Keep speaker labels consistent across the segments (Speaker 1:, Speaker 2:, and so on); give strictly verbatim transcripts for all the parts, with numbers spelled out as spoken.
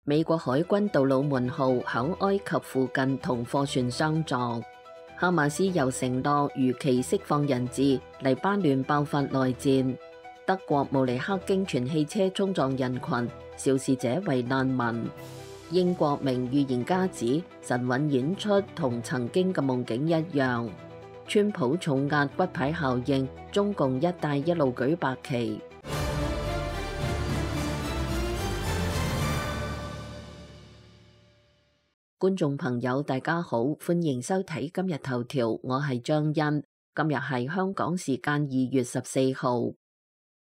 Speaker 1: 美國海軍杜魯門號響埃及附近同貨船相撞，哈馬斯又承諾如期釋放人質，黎巴嫩爆發內戰。德國慕尼黑經傳汽車衝撞人群，肇事者為難民。英國名預言家指神韻演出同曾經嘅夢境一樣。川普重壓骨牌效應，中共一帶一路舉白旗。觀眾朋友大家好，歡迎收睇今日頭條，我係張欣。今日係香港時間二月十四號。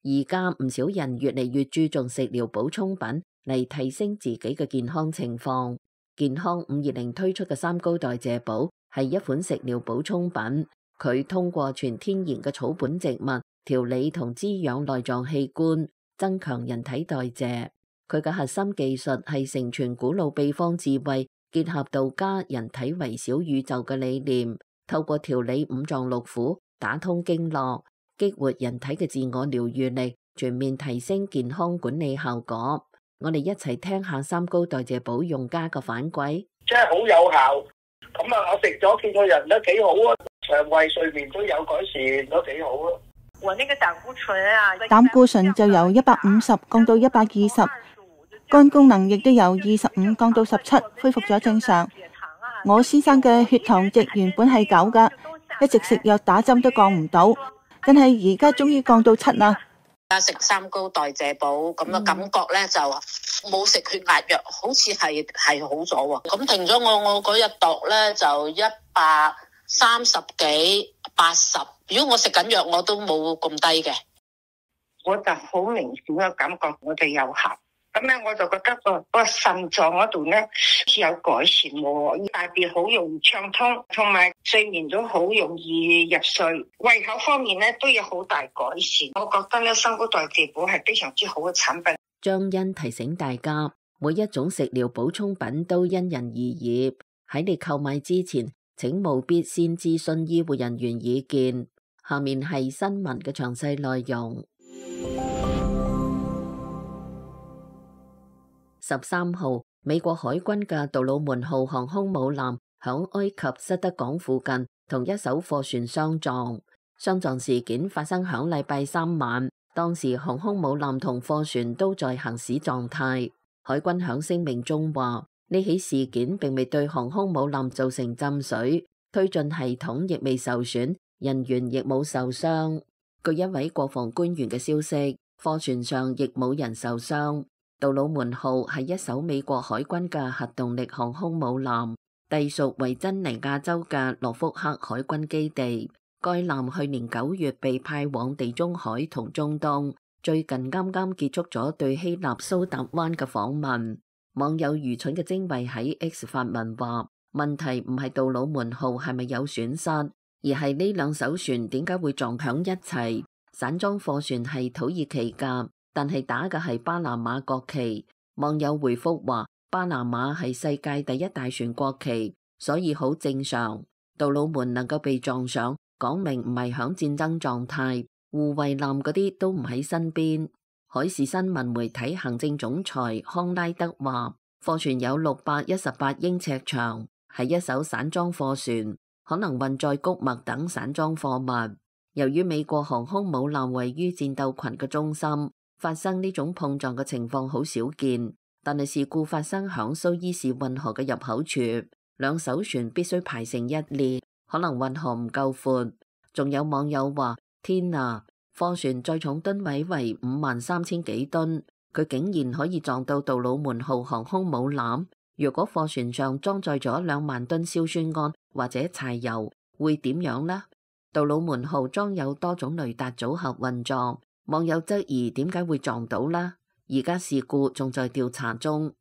Speaker 1: 而家唔少人越嚟越注重食療補充品嚟提升自己嘅健康情況。健康五二零推出嘅三高代謝寶係一款食療補充品，佢通過全天然嘅草本植物調理同滋養內臟器官，增強人體代謝。佢嘅核心技術係承傳古老秘方智慧，結合道家人體為小宇宙嘅理念，透過調理五臟六腑，打通經絡，激活人體嘅自我療愈力，全面提升健康管理效果。我哋一齊聽下三高代謝寶用家嘅反饋。
Speaker 2: 真係好有效，咁啊，我食咗見個人都幾好啊，腸胃睡眠都有改善，都幾好啊。
Speaker 3: 我那個膽固醇啊，
Speaker 4: 膽固醇就由一百五十降到一百二十。肝功能亦都由二十五降到十七，恢復咗正常。我先生嘅血糖值原本係九噶，一直食藥打針都降唔到，但係而家終於降到七啦。
Speaker 5: 而家食三高代謝寶咁嘅感覺咧，就冇食血壓藥，好似係係好咗喎。咁停咗我我嗰日度咧就一百三十幾八十，如果我食緊藥我都冇咁低嘅。
Speaker 6: 我就好明顯嘅感覺我哋有效。咁咧我就覺得個個腎臟嗰度咧有改善喎，大便好容易暢通，同埋睡眠都好容易入睡，胃口方面咧都有好大改善。我覺得咧三高代謝寶係非常之好嘅產品。
Speaker 1: 張欣提醒大家，每一種食療補充品都因人而異，喺你購買之前，請務必先諮詢醫護人員意見。下面係新聞嘅詳細內容。十三號，美國海軍嘅杜魯門號航空母艦響埃及塞德港附近同一艘貨船相撞。相撞事件發生響禮拜三晚，當時航空母艦同貨船都在行駛狀態。海軍響聲明中話，呢起事件並未對航空母艦造成浸水，推進系統亦未受損，人員亦冇受傷。據一位國防官員嘅消息，貨船上亦冇人受傷。杜魯門號係一艘美國海軍嘅核動力航空母艦，隸屬維珍尼亞州嘅諾福克海軍基地。該艦去年九月被派往地中海同中東，最近啱啱結束咗對希臘蘇達灣嘅訪問。網友愚蠢嘅精衛喺 X 發文話，問題唔係杜魯門號係咪有損失，而係呢兩艘船點解會撞響一齊。散裝貨船係土耳其噶，但係打嘅係巴拿馬國旗。網友回覆話，巴拿馬係世界第一大船國旗，所以好正常。杜魯門能夠被撞上，講明唔係響戰爭狀態，護衛艦嗰啲都唔喺身邊。海事新聞媒體行政總裁康拉德話，貨船有六百一十八英尺長，係一艘散裝貨船，可能運載穀物等散裝貨物。由於美國航空母艦位於戰鬥群嘅中心，發生呢種碰撞嘅情況好少見，但係事故發生響蘇伊士運河嘅入口處，兩艘船必須排成一列，可能運河唔夠闊。仲有網友話，天啊，貨船載重噸位為五萬三千幾噸，佢竟然可以撞到杜魯門號航空母艦。如果貨船上裝載咗兩萬噸硝酸銨或者柴油，會點樣呢？杜魯門號裝有多種雷達組合運作，網友質疑點解會撞到呢？而家事故仲在調查中。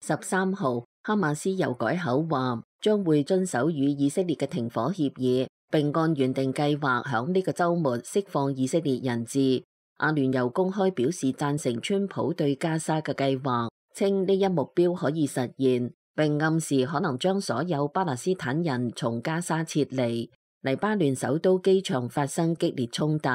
Speaker 1: 十三號，哈馬斯又改口話將會遵守與以色列嘅停火協議，並按原定計劃響呢個週末釋放以色列人質。阿聯酋公開表示贊成川普對加沙嘅計劃，稱呢一目標可以實現，並暗示可能將所有巴勒斯坦人從加沙撤離。黎巴嫩首都機場發生激烈衝突。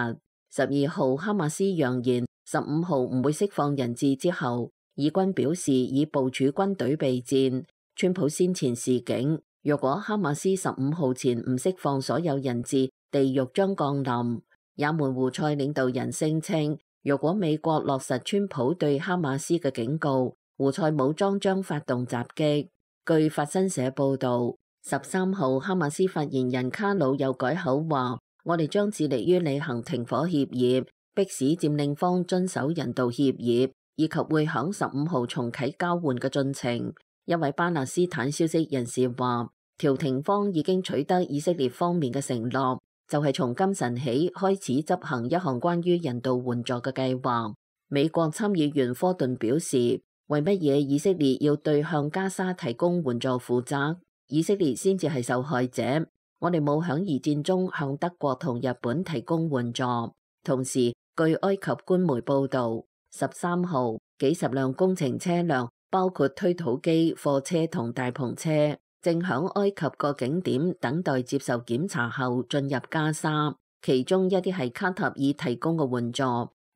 Speaker 1: 十二號，哈馬斯揚言十五號唔會釋放人質之後，以軍表示已部署軍隊備戰。川普先前示警，若果哈馬斯十五號前唔釋放所有人質，地獄將降臨。也門胡塞領導人聲稱，若果美國落實川普對哈馬斯嘅警告，胡塞武裝將發動襲擊。據法新社報導，十三號哈馬斯發言人卡魯又改口話：我哋將致力於履行停火協議，迫使佔領方遵守人道協議，以及會響十五號重啟交換嘅進程。一位巴勒斯坦消息人士話，調停方已經取得以色列方面嘅承諾，就係從今晨起開始執行一項關於人道援助嘅計劃。美國參議員科頓表示，為乜嘢以色列要對向加沙提供援助負責？以色列先至係受害者。我哋冇響二戰中向德國同日本提供援助。同時，據埃及官媒報導，十三號幾十輛工程車輛，包括推土機、貨車同大篷車，正響埃及個景點等待接受檢查後進入加沙。其中一啲係卡塔爾提供嘅援助，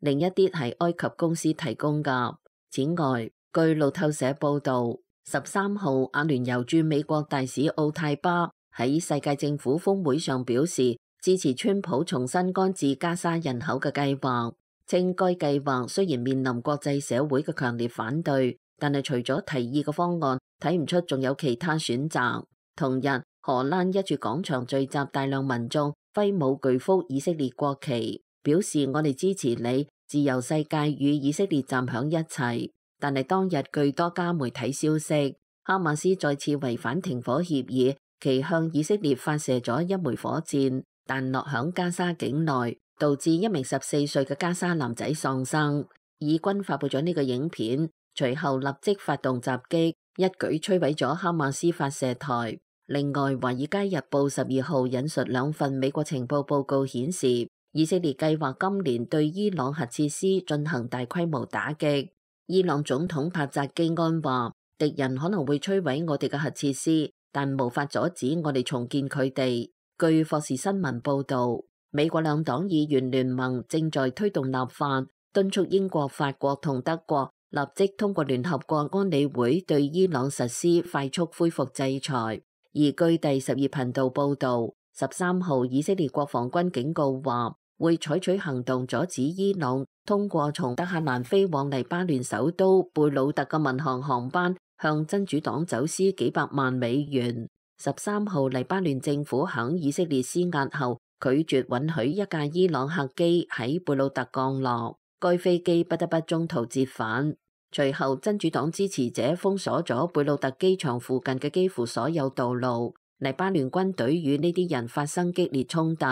Speaker 1: 另一啲係埃及公司提供㗎。此外，據路透社報導，十三號阿聯酋駐美國大使奧泰巴喺世界政府峰會上表示，支持川普重新安置加沙人口嘅計劃，稱該計劃雖然面臨國際社會嘅強烈反對，但係除咗提議嘅方案，睇唔出仲有其他選擇。同日，荷蘭一處廣場聚集大量民眾，揮舞巨幅以色列國旗，表示我哋支持你，自由世界與以色列站響一齊。但係當日據多家媒體消息，哈馬斯再次違反停火協議，其向以色列發射咗一枚火箭，彈落響加沙境內，導致一名十四歲嘅加沙男仔喪生。以軍發佈咗呢個影片，隨後立即發動襲擊，一舉摧毀咗哈馬斯發射台。另外，《華爾街日報》十二號引述兩份美國情報報告顯示，以色列計劃今年對伊朗核設施進行大規模打擊。伊朗總統帕扎基安話，敵人可能會摧毀我哋嘅核設施，但無法阻止我哋重建佢哋。據霍士新聞報道，美國兩黨議員聯盟正在推動立法，敦促英國、法國同德國立即通過聯合國安理會對伊朗實施快速恢復制裁。而據第十二頻道報道，十三號以色列國防軍警告話，會採取行動阻止伊朗通過從德黑蘭飛往黎巴嫩首都貝魯特嘅民航航班向真主黨走私幾百萬美元。十三號黎巴嫩政府響以色列施壓後，拒絕允許一架伊朗客機喺貝魯特降落，該飛機不得不中途折返。隨後真主黨支持者封鎖咗貝魯特機場附近嘅幾乎所有道路，黎巴嫩軍隊與呢啲人發生激烈衝突。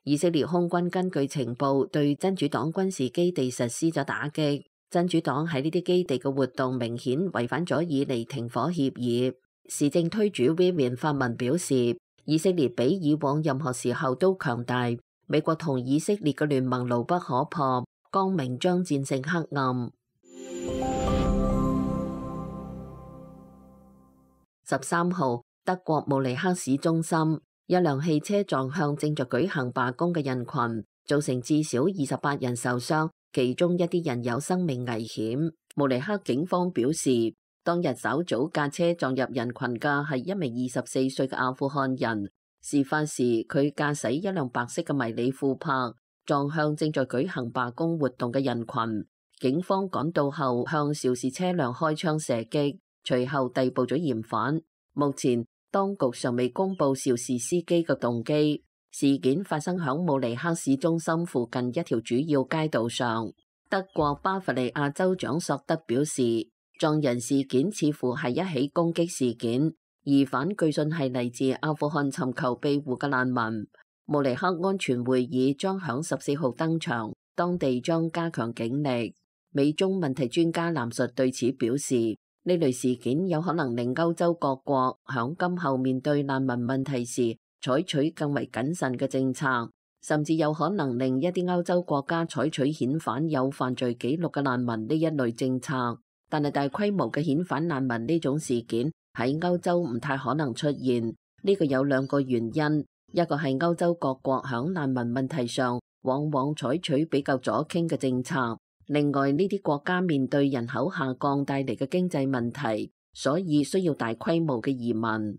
Speaker 1: 以色列空軍根據情報對真主黨軍事基地實施咗打擊，真主黨喺呢啲基地嘅活動明顯違反咗以嚟停火協議。時政推主 Vivian 發文表示，以色列比以往任何時候都強大，美國同以色列嘅聯盟牢不可破，光明將戰勝黑暗。十三號，德國慕尼黑市中心，一輛汽車撞向正在舉行罷工嘅人群，造成至少二十八人受傷，其中一啲人有生命危險。慕尼黑警方表示，當日稍早駕車撞入人群嘅係一名二十四歲嘅阿富汗人。事發時，佢駕駛一輛白色嘅迷你庫柏，撞向正在舉行罷工活動嘅人群。警方趕到後，向肇事車輛開槍射擊，隨後逮捕咗嫌犯。目前，當局尚未公布肇事司機嘅動機。事件發生響慕尼黑市中心附近一條主要街道上。德國巴伐利亞州長索德表示，撞人事件似乎係一起攻擊事件，疑犯據信係嚟自阿富汗尋求庇護嘅難民。慕尼黑安全會議將響十四號登場，當地將加強警力。美中問題專家藍述對此表示，呢類事件有可能令歐洲各國響今後面對難民問題時採取更為謹慎嘅政策，甚至有可能令一啲歐洲國家採取遣返有犯罪記錄嘅難民呢一類政策。但係大規模嘅遣返難民呢種事件喺歐洲唔太可能出現，呢個有兩個原因，一個係歐洲各國響難民問題上往往採取比較左傾嘅政策，另外，呢啲國家面對人口下降帶嚟嘅經濟問題，所以需要大規模嘅移民。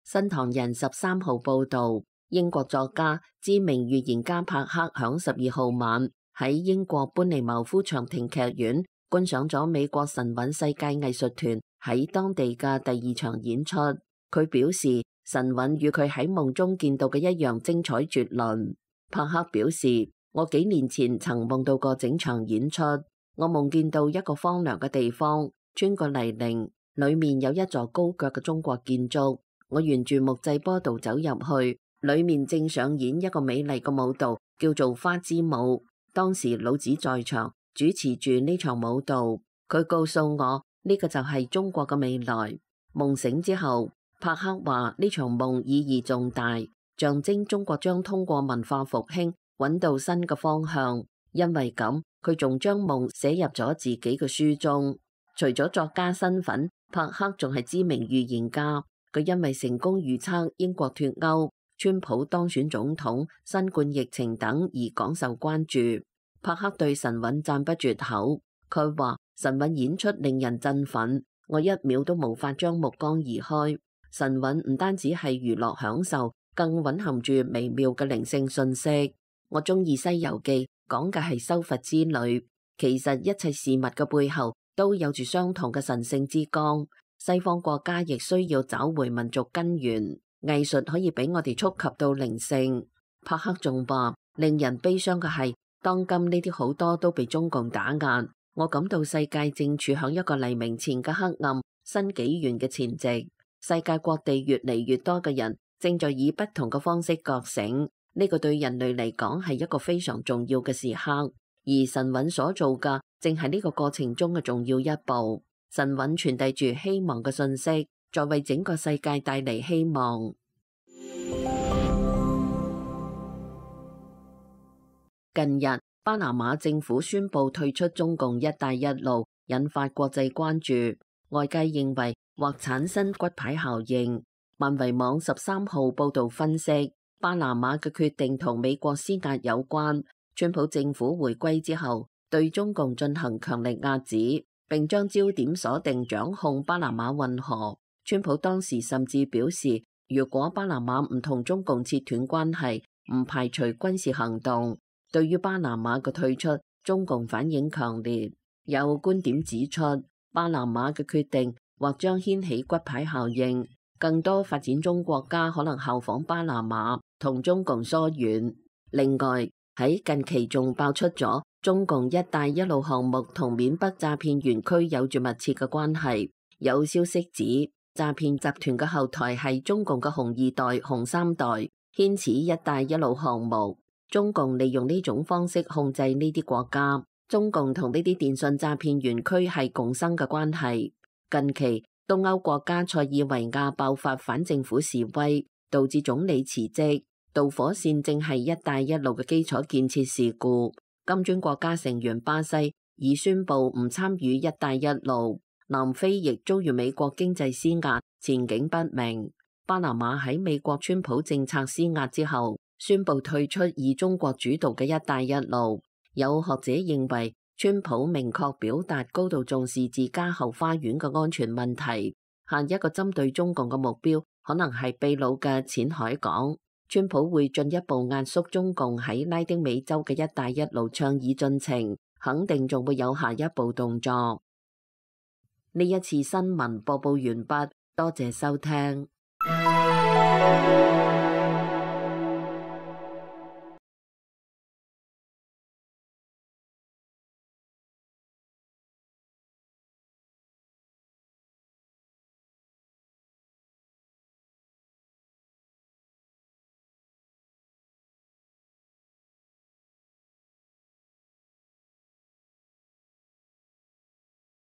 Speaker 1: 新唐人十三號報導，英國作家、知名預言家帕克響十二號晚喺英國班尼茅夫長亭劇院觀賞咗美國神韻世界藝術團喺當地嘅第二場演出。佢表示，神韻與佢喺夢中見到嘅一樣精彩絕倫。帕克表示，我幾年前曾夢到過整場演出，我夢見到一個荒涼嘅地方，穿過泥濘，裏面有一座高腳嘅中國建築。我沿住木製坡道走入去，裏面正上演一個美麗嘅舞蹈，叫做花之舞。當時老子在場主持住呢場舞蹈，佢告訴我呢個就係中國嘅未來。夢醒之後，帕克話呢場夢意義重大，象徵中國將通過文化復興揾到新嘅方向。因為咁，佢仲將夢寫入咗自己嘅書中。除咗作家身份，帕克仲係知名預言家。佢因為成功預測英國脫歐、川普當選總統、新冠疫情等而廣受關注。帕克對神韻讚不絕口，佢話神韻演出令人振奮，我一秒都無法將目光移開。神韻唔單止係娛樂享受，更蘊含住微妙嘅靈性訊息。我中意《西遊記》，講嘅係修佛之旅。其實一切事物嘅背後都有住相同嘅神聖之光。西方國家亦需要找回民族根源，藝術可以俾我哋觸及到靈性。帕克仲話，令人悲傷嘅係，當今呢啲好多都被中共打壓。我感到世界正處響一個黎明前嘅黑暗新紀元嘅前夕。世界各地越嚟越多嘅人正在以不同嘅方式覺醒，呢個對人類嚟講係一個非常重要嘅時刻。而神韻所做嘅，正係呢個過程中嘅重要一步。神韻傳遞住希望嘅信息，再為整個世界帶嚟希望。近日，巴拿馬政府宣布退出中共一帶一路，引發國際關注。外界認為或產生骨牌效應。萬維網十三號報道分析，巴拿馬嘅決定同美國施壓有關。川普政府回歸之後，對中共進行強力壓制，並將焦點鎖定掌控巴拿馬運河。川普當時甚至表示，如果巴拿馬唔同中共切斷關係，唔排除軍事行動。對於巴拿馬嘅退出，中共反應強烈。有觀點指出，巴拿馬嘅決定或將掀起骨牌效應，更多發展中國家可能效仿巴拿馬，同中共疏遠。另外，喺近期仲爆出咗中共一帶一路項目同緬北詐騙園區有住密切嘅關係。有消息指，詐騙集團嘅後台係中共嘅紅二代、紅三代，牽扯一帶一路項目。中共利用呢種方式控制呢啲國家。中共同呢啲電信詐騙園區係共生嘅關係。近期，東歐國家塞爾維亞爆發反政府示威，導致總理辭職。導火線正係一帶一路嘅基礎建設事故。金磚國家成員巴西已宣布唔參與一帶一路。南非亦遭遇美國經濟施壓，前景不明。巴拿馬喺美國川普政策施壓之後，宣布退出以中國主導嘅一帶一路。有學者認為，川普明確表達高度重視自家後花園嘅安全問題，下一個針對中共嘅目標可能係秘魯嘅淺海港。川普會進一步壓縮中共喺拉丁美洲嘅一帶一路倡議進程，肯定仲會有下一步動作。呢一次新聞播報完畢，多謝收聽。